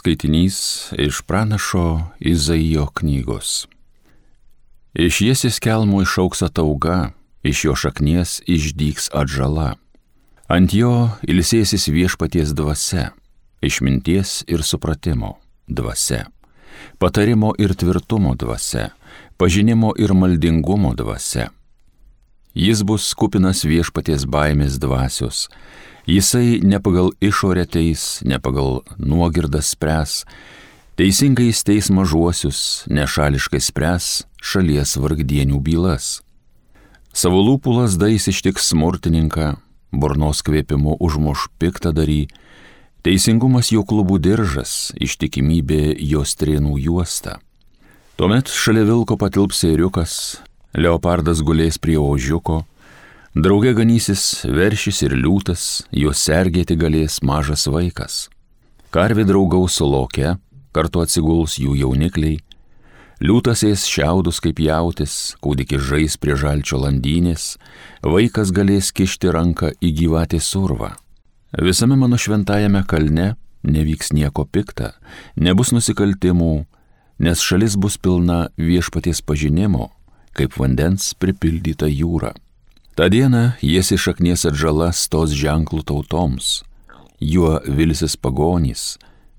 skaitinys iš pranašo Izaijo knygos. Iš Jesės kelmo išaugs atauga, iš jo šaknies išdygs atžala. Ant jo ilsėsis viešpaties dvasia, išminties ir supratimo dvasia, patarimo ir tvirtumo dvasia, pažinimo ir maldingumo dvasia. Jis bus kupinas viešpaties baimės dvasios. Jisai ne pagal išorę teis, ne pagal nuogirdą spręs, teisingai teis mažuosius, nešališkai spręs šalies vargdienių bylas. Savo lūpų lazdais ištiks smurtininką, burnos kvėpimu užmuš piktadarį, teisingumas jo klubų diržas, ištikimybė jo strėnų juosta. Tuomet šalia vilko patilps ėriukas, leopardas gulės prie ožiuko, drauge ganysis veršis ir liūtas, juos sergėti galės mažas vaikas. Karvė draugaus su loke, kartu atsiguls jų jaunikliai, liūtas ės šiaudus kaip jautis, kūdikis žais prie žalčio landynės, vaikas galės kišti ranką į gyvatės urvą. Visame mano šventajame kalne nevyks nieko pikta, nebus nusikaltimų, nes šalis bus pilna viešpaties pažinimo, kaip vandens pripildyta jūra. Ta diena Jesės šaknies atžala stos ženklų tautoms, juo vilsis pagonys,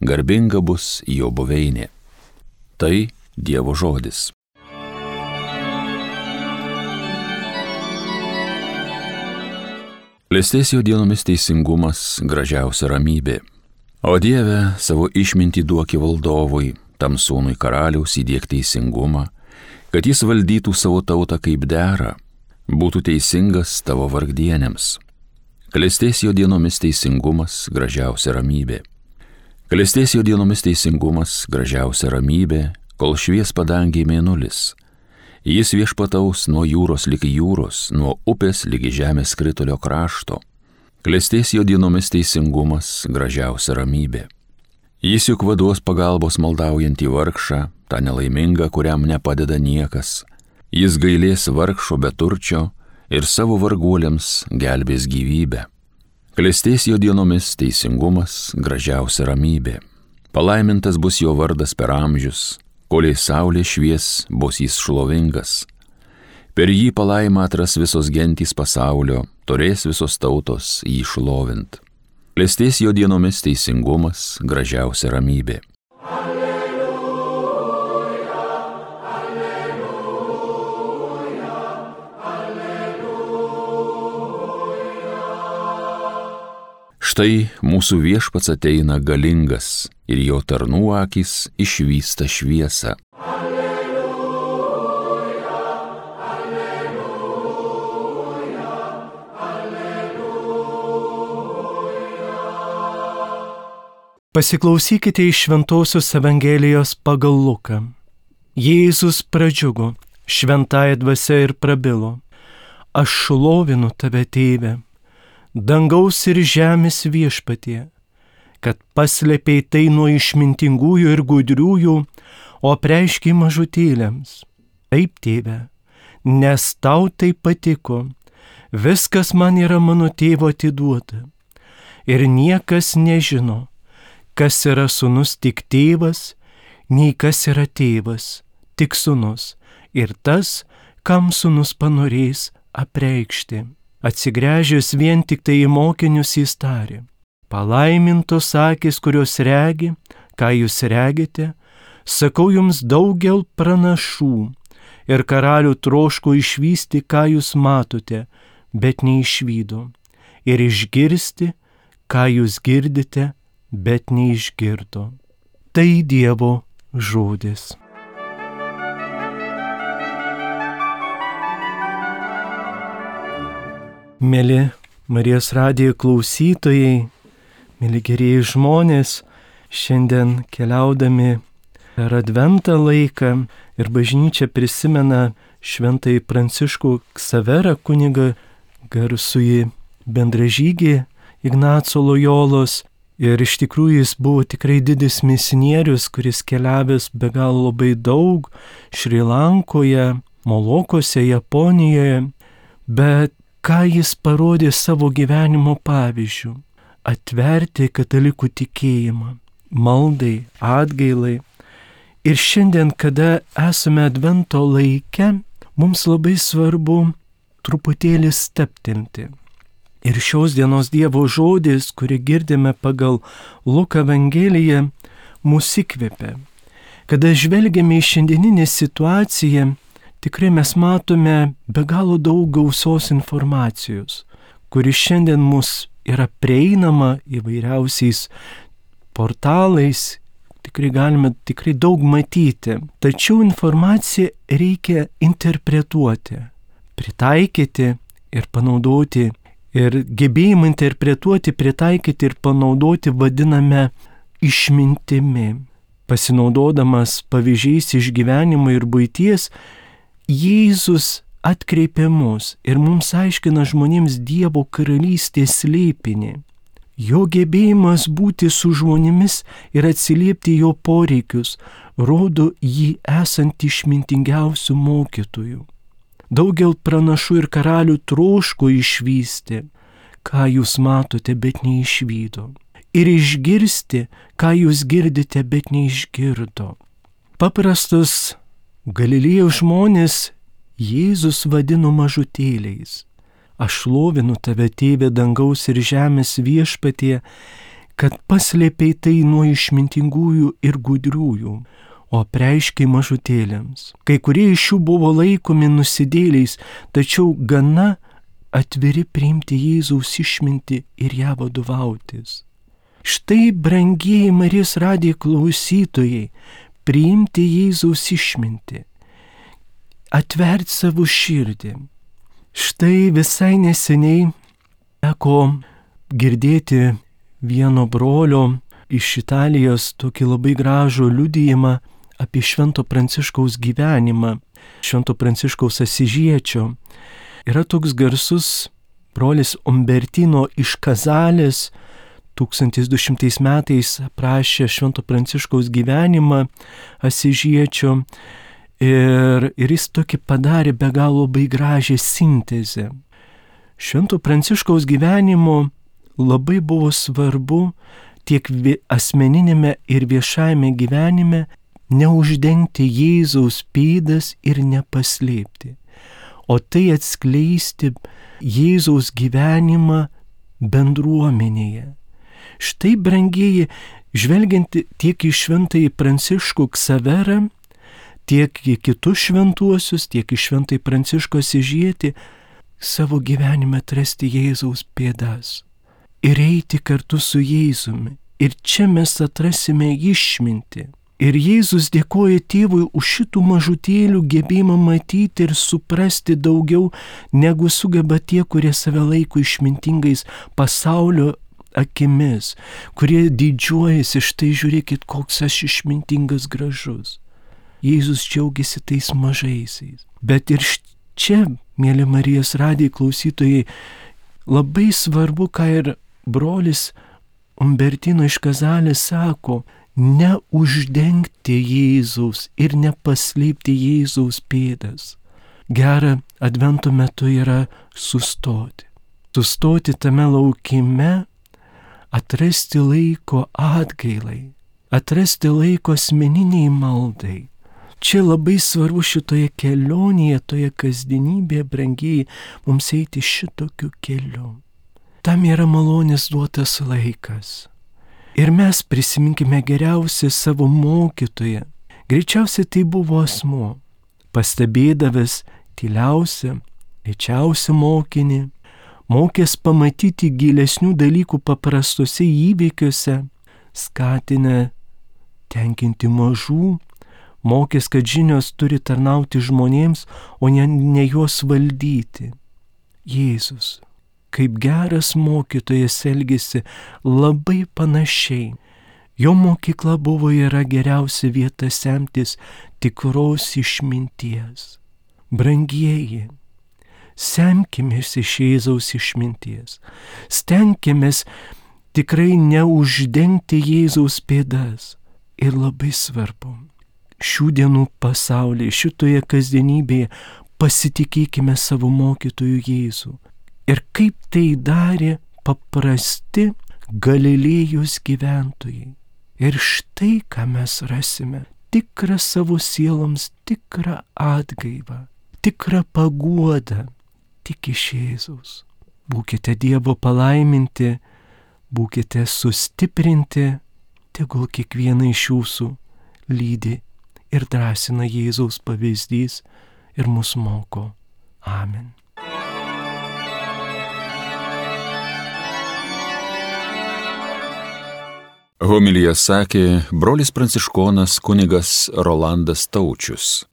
garbinga bus jo buveinė. Tai Dievo žodis. Klestės jo dienomis teisingumas, gražiausia ramybė. O Dieve, savo išmintį duoki valdovui, tam sūnui karaliaus įdiek teisingumą, kad jis valdytų savo tautą kaip dera, būtų teisingas tavo vargdienėms. Klestės jo dienomis teisingumas, gražiausia ramybė. Klestės jo dienomis teisingumas, gražiausia ramybė, kol švies padangiai mėnulis. Jis viešpataus nuo jūros ligi jūros, nuo upės ligi žemės skritulio krašto. Klestės jo dienomis teisingumas, gražiausia ramybė. Jis juk vaduos pagalbos maldaujantį vargšą, tą nelaimingą, kuriam nepadeda niekas. Jis gailės vargšo beturčio ir savo varguoliams gelbės gyvybę. Klestės jo dienomis teisingumas, gražiausia ramybė. Palaimintas bus jo vardas per amžius, kol saulė švies, bus jis šlovingas. Per jį palaimą atras visos gentys pasaulio, turės visos tautos jį šlovint. Klestės jo dienomis teisingumas, gražiausia ramybė. Štai mūsų viešpats ateina galingas ir jo tarnų akys išvysta šviesą. Alleluja, alleluja, alleluja. Pasiklausykite iš Šventosios Evangelijos pagal Luką. Jėzus pradžiugo šventąja dvasia ir prabilo: Aš šlovinu tave, Tėve, dangaus ir žemės viešpatie, kad paslėpei tai nuo išmintingųjų ir gudriųjų, o apreiškei mažutėliams. Taip, Tėve, nes tau tai patiko, viskas man yra mano tėvo atiduota. Ir niekas nežino, kas yra sūnus tik tėvas, nei kas yra tėvas, tik sūnus, ir tas, kam sūnus panorės apreikšti. Atsigręžęs vien tik tai į mokinius jis tarė: Palaimintos akys, kurios regi, ką jūs regite, sakau jums daugel pranašų, ir karalių troško išvysti, ką jūs matote, bet neišvydo, ir išgirsti, ką jūs girdite, bet neišgirdo. Tai Dievo žodis. Mėly Marijos radijo klausytojai, mėly gerieji žmonės, šiandien keliaudami per Advento laiką ir bažnyčia prisimena šventąjį Pranciškų Ksaverą, kunigą, garsųjį bendražygį Ignaco Lojolos. Ir iš tikrųjų jis buvo tikrai didis misionierius, kuris keliavęs be galo labai daug Šri Lankoje, Molokose, Japonijoje, bet ką jis parodė savo gyvenimo pavyzdžių? Atverti katalikų tikėjimą. maldai, atgailai. Ir šiandien, kada esame Advento laike, mums labai svarbu truputėlį stabtelti. Ir šios dienos Dievo žodis, kurį girdime pagal Luko Evangeliją, mus įkvepia. Kada žvelgiame į šiandieninę situaciją, tikrai mes matome be galo daug gausos informacijos, kuri šiandien mus yra prieinama įvairiausiais portalais, tikrai galime daug matyti. Tačiau informaciją reikia interpretuoti, pritaikyti ir panaudoti. Ir gebėjimą interpretuoti, pritaikyti ir panaudoti vadiname išmintimi. Pasinaudodamas pavyzdžiais iš gyvenimo ir buities, Jėzus atkreipia mus ir mums aiškina žmonėms Dievo karalystės slėpinį. Jo gebėjimas būti su žmonėmis ir atsiliepti jo poreikius rodo jį esant išmintingiausių mokytojų. Daugel pranašų ir karalių troško išvysti, ką jūs matote, bet neišvydo. Ir išgirsti, ką jūs girdite, bet neišgirdo. Paprastus Galilėjos žmonės Jėzus vadino mažutėliais. Aš šlovinu tave, Tėve dangaus ir žemės viešpatie, kad paslėpei tai nuo išmintingųjų ir gudriųjų, o apreiškei mažutėliams. Kai kurie iš jų buvo laikomi nusidėliais, tačiau gana atviri priimti Jėzaus išmintį ir ją vadovautis. Štai, brangieji Marijos radijo klausytojai, priimti Jėzaus išmintį, atverti savo širdį. Štai visai neseniai teko girdėti vieno brolio iš Italijos tokį labai gražų liudijimą apie Švento Pranciškaus gyvenimą, Švento Pranciškaus Asižiečio. Yra toks garsus brolis Umbertino iš Kazalės, 1200 metais aprašė Švento Pranciškaus gyvenimą Asižiečio ir jis tokį padarė be galo labai gražią sintezę. Švento Pranciškaus gyvenimo labai buvo svarbu tiek asmeninėme ir viešajame gyvenime neuždengti Jėzaus pėdas ir nepaslėpti, o tai atskleisti Jėzaus gyvenimą bendruomenėje. Štai, brangieji, žvelgiant tiek į Šventąjį Pranciškų Ksaverą, tiek į kitus šventuosius, tiek į Šventąjį Pranciškų Asižietį, savo gyvenime atrasti Jėzaus pėdas ir eiti kartu su Jėzumi. Ir čia mes atrasime išmintį. Ir Jėzus dėkoja Tėvui už šitų mažutėlių gebėjimą matyti ir suprasti daugiau, negu sugeba tie, kurie save laiko išmintingais pasaulio akimis, kurie didžiuojasi, štai žiūrėkit, koks aš išmintingas, gražus. Jėzus džiaugiasi tais mažaisiais. Bet ir čia, mėly Marijos radijo klausytojai, labai svarbu, ką ir brolis Umbertino iš Kazalės sako, neuždengti Jėzaus ir nepaslėpti Jėzaus pėdas. Gera Advento metu yra sustoti. Sustoti tame laukime, atrasti laiko atgailai, atrasti laiko asmeniniai maldai. Čia labai svarbu šitoje kelionėje, toje kasdienybėje, brangieji, mums eiti šitokiu keliu. Tam yra malonės duotas laikas. Ir mes prisiminkime geriausią savo mokytoją. Greičiausiai tai buvo asmuo, pastebėdavęs tyliausią, lėčiausią mokinį, mokęs pamatyti gilesnių dalykų paprastuose įvykiuose, skatinę tenkinti mažų, mokęs, kad žinios turi tarnauti žmonėms, o ne juos valdyti. Jėzus, kaip geras mokytojas, elgėsi labai panašiai. Jo mokykla buvo yra geriausia vieta semtis tikros išminties. Brangieji, semkimės iš Jėzaus išminties. Stenkimės tikrai neuždengti Jėzaus pėdas. Ir labai svarbu, šių dienų pasaulyje, šitoje kasdienybėje pasitikėkime savo mokytojų Jėzų. Ir kaip tai darė paprasti Galilėjos gyventojai. Ir štai ką mes rasime - tikrą savo sieloms, tikrą atgaivą, tikrą paguodą tik iš Jėzaus. Būkite Dievo palaiminti, būkite sustiprinti, tegul kiekvieną iš jūsų lydi ir drąsina Jėzaus pavyzdys ir mus moko. Amen. Homiliją sakė brolis pranciškonas kunigas Rolandas Taučius.